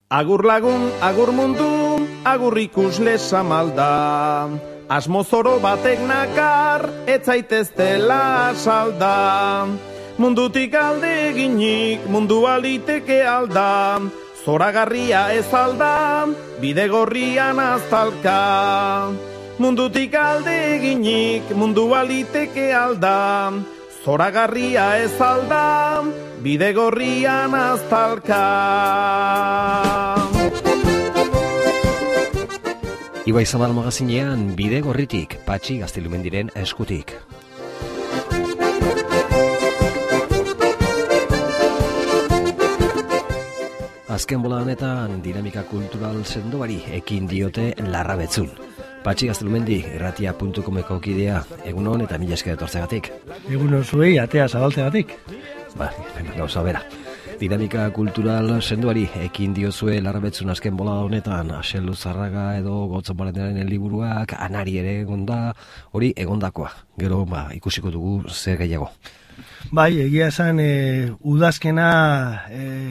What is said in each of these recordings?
Agur lagun, agur mundu, agur ikusle samalda. Asmo zoro batek nakar, ez zaiteztela salda. Mundutik alde eginik, mundu aliteke alda. Zoragarria ez alda, bide gorrian aztalka. Mundutik alde eginik, mundu aliteke alda. Zoragarria ez alda, bide gorrian aztalka. Ibai Zabal magazinean bide gorritik, Patxi Gaztelumendiren eskutik. Azken bola honetan dinamika kultural sendoari ekin diote Larrabetzun. Patxi Gaztelumendi, irratia.comeko kidea, egunon eta mila esker etortzegatik. Egunon zuei, atea zabaltzegatik. Gauza bera. Dinamika kultural sendoari ekin diozue Larrabetzun azken bola honetan, Axel Luzarraga edo Gotzon Balenaren liburuak, Anari ere egonda, hori egondakoa. Gero ikusiko dugu zer gehiago. Bai, egia esan udazkena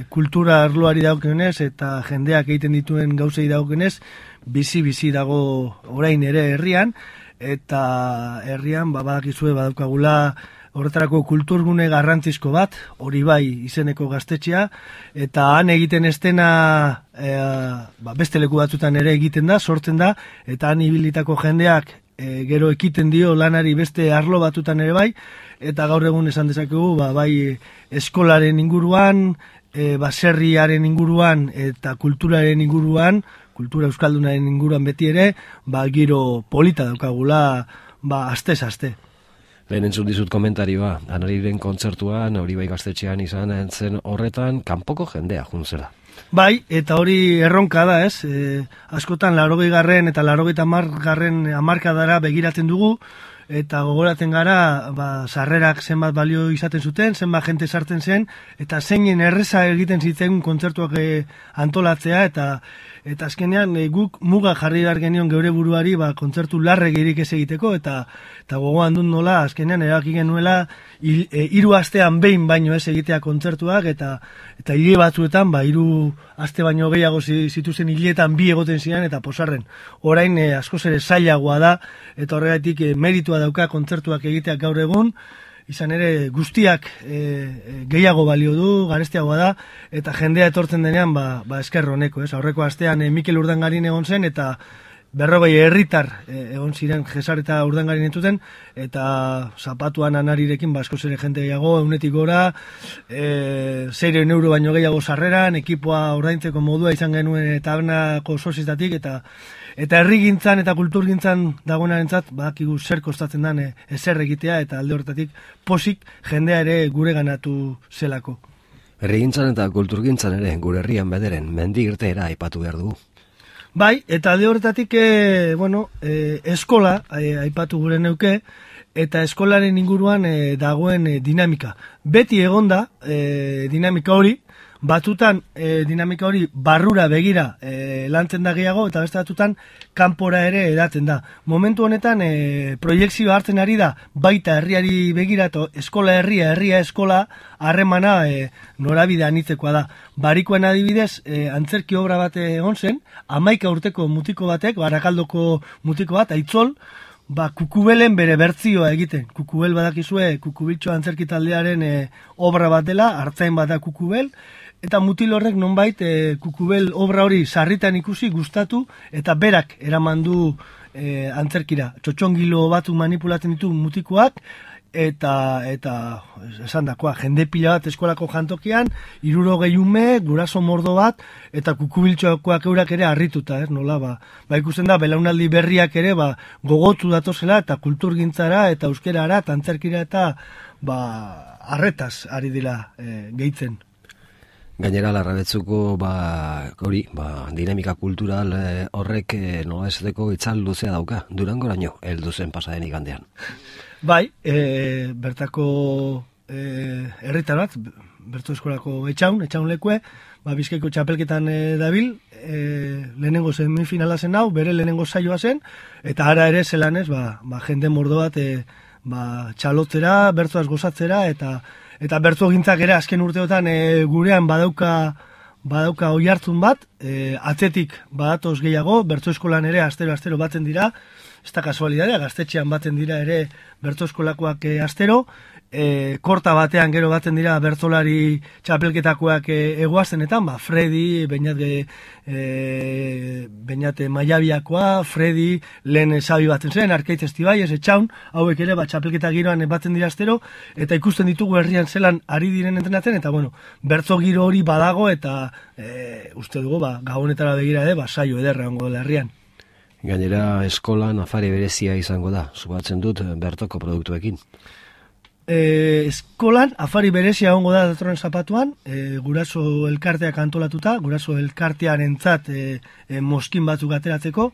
kultura arloari daukionez eta jendeak egiten dituen gauzei daukionez, bizi dago orain ere herrian, eta herrian badakizue badaukagula horretarako kulturgune garrantzizko bat, hori bai izeneko gaztetxea, eta han egiten estena beste leku batzutan ere egiten da, sortzen da, eta han ibilitako jendeak gero ekiten dio lanari beste arlo batutan ere bai, eta gaur egun esan dezakegu bai eskolaren inguruan, baserriaren inguruan eta kulturaren inguruan, kultura euskaldunaren inguruan beti ere, giro polita daukagula astez-aste. Lehen entzun dizut komentarioa, Anariren kontzertuan, hori bai gaztetxean izan entzen horretan, kanpoko jendea juntzera. Bai, eta hori erronka da, ez? Askotan 80garren eta 80garren hamarkadara begiratzen dugu, eta gogoratzen gara, sarrerak zenbat balio izaten zuten, zenbat jente sartzen zen, eta zeinen erreza egiten zitzen kontzertuak antolatzea, eta azkenean guk muga jarri behar genion geure buruari kontzertu larregirik ez egiteko, eta gogoan dut nola, azkenean erabaki genuela 3 astean behin baino ez egitea kontzertuak, eta hile batzuetan 3 aste baino gehiago zituzen hiletan 2 egoten ziren, eta posarren. Orain askoz ere zailagoa da, eta horregatik meritua dauka kontzertuak egiteak gaur egun, izan ere guztiak gehiago balio du, garestiagoa da, eta jendea etortzen denean esker honeko. Aurreko astean Mikel Urdangarin egon zen, eta 40 herritar egon ziren Jesar eta Urdangarin entuten, eta zapatuan Anarirekin askoz ere jente gehiago, 100 gora, 600 euro baino gehiago sarreran, ekipoa ordaintzeko modua izan genuen tabernako sozietatik, eta herrigintzan eta kulturgintzan dagoenarentzat badakigu zer kostatzen den ezer egitea, eta alde horretatik posik jendea ere gure ganatu zelako. Herrigintzan eta kulturgintzan ere gure herrian bederen mendi irteera aipatu behar dugu. Bai, eta alde horretatik eskola aipatu gure neuke, eta eskolaren inguruan dagoen dinamika. Beti egonda dinamika hori, batutan dinamika hori barrura begira lantzen da gehiago, eta beste batutan kanpora ere edaten da. Momentu honetan proiekzioa hartzen ari da, baita herriari begira, eskola herria, herria eskola, harremana norabide anitzekoa da. Barikoen adibidez, antzerki obra bat egon zen, 11 urteko mutiko batek, Barakaldoko mutiko bat, Aitzol, Kukubelen bere bertzioa egiten. Kukubel badakizue, Kukubiltxo antzerki taldearen obra bat dela, hartzain bat da Kukubel, eta mutil horrek nonbait Kukubel obra hori sarritan ikusi, gustatu, eta berak eraman du antzerkira. Txotxongilo batu manipulatzen ditu mutikoak, eta esan dakoa, jende pila bat eskolako jantokian, 60 ume, guraso mordo bat, eta Kukubiltxoakoak eurak ere harrituta, nola, ikusten da, belaunaldi berriak ere, gogotu datozela, eta kulturgintzara, eta euskerara, eta antzerkira, eta arretaz ari dira gehitzen. Gainera, Larrabetzuko dinamika kultural horrek nola esateko itzal luzea dauka, Durangoraino heldu zen pasaden igandean. Bai, bertako herritar bat, bertu eskolako etxaun lekue, Bizkaiko txapelketan dabil, lehenengo semifinala zen hau, bere lehenengo saioa zen, eta ara ere zelanez, jende mordo bat txalotzera, bertzoaz gozatzera, eta bertzo gintzak ere azken urteotan gurean badauka badauka oihartzun bat, atzetik badatoz gehiago, bertso eskolan ere astero batzen dira, ez da kasualidadea, Gaztetxean batzen dira ere bertso eskolakoak astero, korta batean gero batzen dira bertsolari txapelketakoak egoaztenetan, Fredi, Beñat Maiabiakoa, Fredi, lehen Sabi batzen zen, Arkaitz Estibaiez, Etxaun, hauek ere txapelketa giroan batzen dira astero, eta ikusten ditugu herrian zelan ari diren entrenatzen, eta bertso giro hori badago, eta uste dugu, gabonetara begira ere, saio ederra ongo dela herrian. Gainera, eskolan afari berezia izango da, subatzen dut bertoko produktuekin. Eskolan afari berezia ongo da datorren zapatuan, guraso elkarteak antolatuta, guraso elkartearentzat moskin batzuk ateratzeko,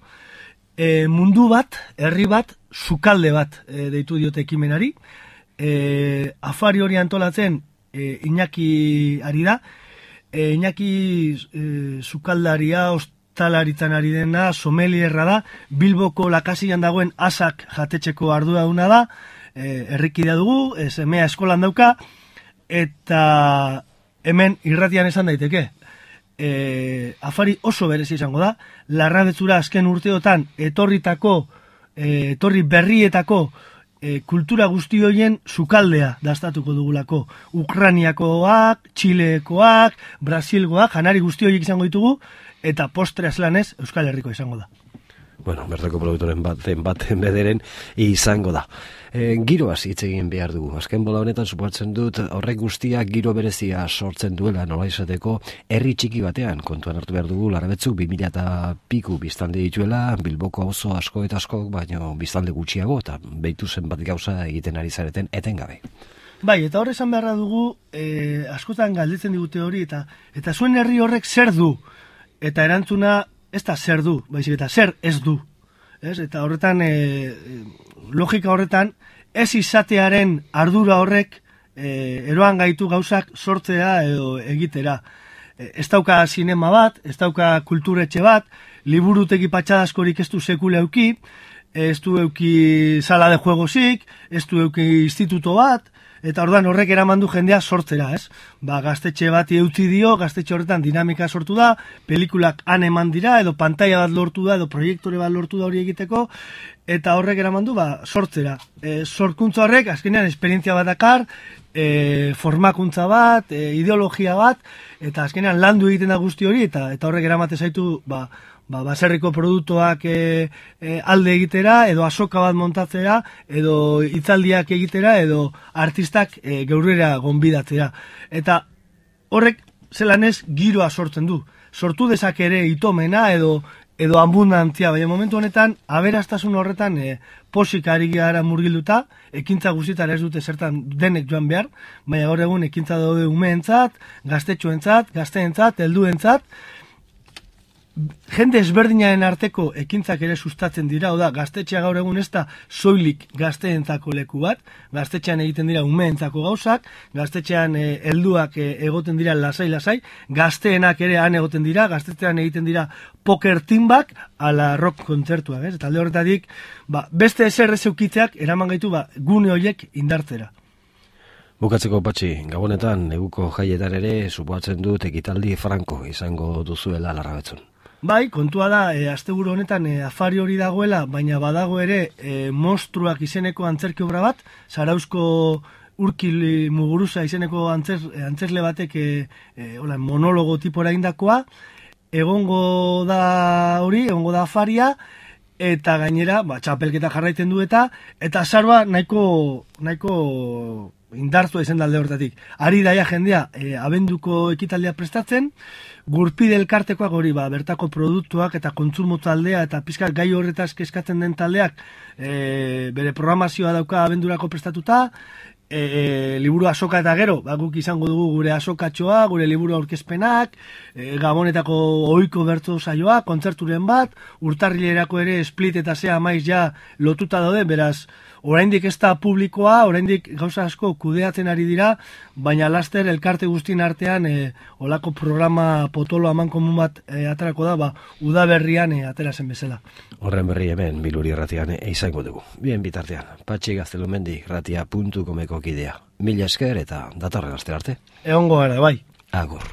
mundu bat, herri bat, sukalde bat deitu diote ekimenari, afari hori antolatzen Iñaki ari da, Iñaki sukaldaria, talaritzan ari dena, somelierra da, Bilboko Lakasian dagoen asak jatetxeko arduraduna da, herrikidea dugu, semea eskolan dauka, eta hemen irratian esan daiteke. Afari oso berezi izango da, Larrabetzura azken urteotan etorri berrietako kultura guzti horien sukaldea dastatuko dugulako. Ukraniakoak, Txilekoak, Brasilgoak, janari guzti horiek izango ditugu, eta postre azlanez Euskal Herriko izango da. Bueno, bertako produktoren baten bederen izango da. Giroaz hitz egin behar dugu. Azken bola honetan suposatzen dut horrek guztiak giro berezia sortzen duela nola izateko herri txiki batean. Kontuan hartu behar dugu Larrabetzuk 2000 eta piku biztanle dituela, Bilboko auzo asko eta asko, baino biztanle gutxiago, eta behitu zenbat gauza egiten ari zareten etengabe. Bai, eta hor esan beharra dugu, askotan galdetzen digute hori, eta zuen herri horrek zer du? Eta erantzuna, ez da zer du, baizik eta zer ez du. Eta horretan, logika horretan, ez izatearen ardura horrek eroan gaitu gauzak sortzea edo egitera. Ez dauka sinema bat, ez dauka kulturetxe bat, liburutegi patxadaskorik ez du sekule euki, ez du euki sala de juegozik, ez du euki instituto bat, eta ordan horrek eraman du jendea sortzera, ez? Gaztetxe bat eutzi dio, gaztetxe horretan dinamika sortu da, pelikulak han eman dira, edo pantaila bat lortu da, edo proiektore bat lortu da hori egiteko, eta horrek eraman du sortzera. Sorkuntza horrek, azkenean, esperientzia bat dakar, formakuntza bat, ideologia bat, eta azkenean landu egiten da guzti hori, eta horrek eramate zaitu, baserriko produktuak alde egitera, edo azoka bat montatzera, edo hitzaldiak egitera, edo artistak geurrera gonbidatzera. Eta horrek zelanez giroa sortzen du. Sortu dezak ere itomena edo abundantzia, baina momentu honetan aberastasun horretan posik ari gara murgilduta, ekintza guztietan ez dute zertan denek joan behar, baina gaur egun ekintza daude umeentzat, gaztetxoentzat, gazteentzat, helduentzat, jende ezberdinaren arteko ekintzak ere sustatzen dira, oda, gaztetxea gaur egun ez da soilik gazteentzako leku bat, gaztetxean egiten dira umeentzako gauzak, gaztetxean helduak egoten dira lasai-lasai, gazteenak ere han egoten dira, gaztetxean egiten dira poker timbak, ala rock kontzertuak, ez? Eta alde horretatik, beste ezer ez eukitzeak eraman gaitu gune horiek indartzera. Bukatzeko Patxi, gabonetan, neguko jaietan ere, supoatzen dut ekitaldi franko izango duzuela Larrabetzun. Bai, kontua da, asteburu honetan afari hori dagoela, baina badago ere monstruak izeneko antzerki obra bat, Zarauzko Urkil Muguruza izeneko antzerle batek monologo tipora indakoa, egongo da hori, egongo da afaria, eta gainera, txapelketa jarraiten du eta azaroa nahiko indartua izan dalde hortatik. Ari daia jendea, abenduko ekitaldia prestatzen, Gurpide elkartekoak hori, bertako produktuak eta kontsumo taldea eta pizkat gai horretaz kezkatzen den taldeak bere programazioa dauka abendurako prestatuta, liburu azoka eta gero, guk izango dugu gure azokatxoa, gure liburu aurkezpenak, Gabonetako ohiko bertso saioa, kontzerturen bat, urtarrilerako ere split eta zea maiz ja lotuta daude, beraz, oraindik ez da publikoa, oraindik gauza asko kudeatzen ari dira, baina laster elkarte guztien artean olako programa potolo aman komun bat aterako da, udaberrian atera zen bezala. Horren berri hemen Biluri Irratian izango dugu. Bien bitartean, Patxi Gaztelumendi irratia.comeko kidea. Mila esker eta datorren astera arte. Egongo gara, bai. Agur.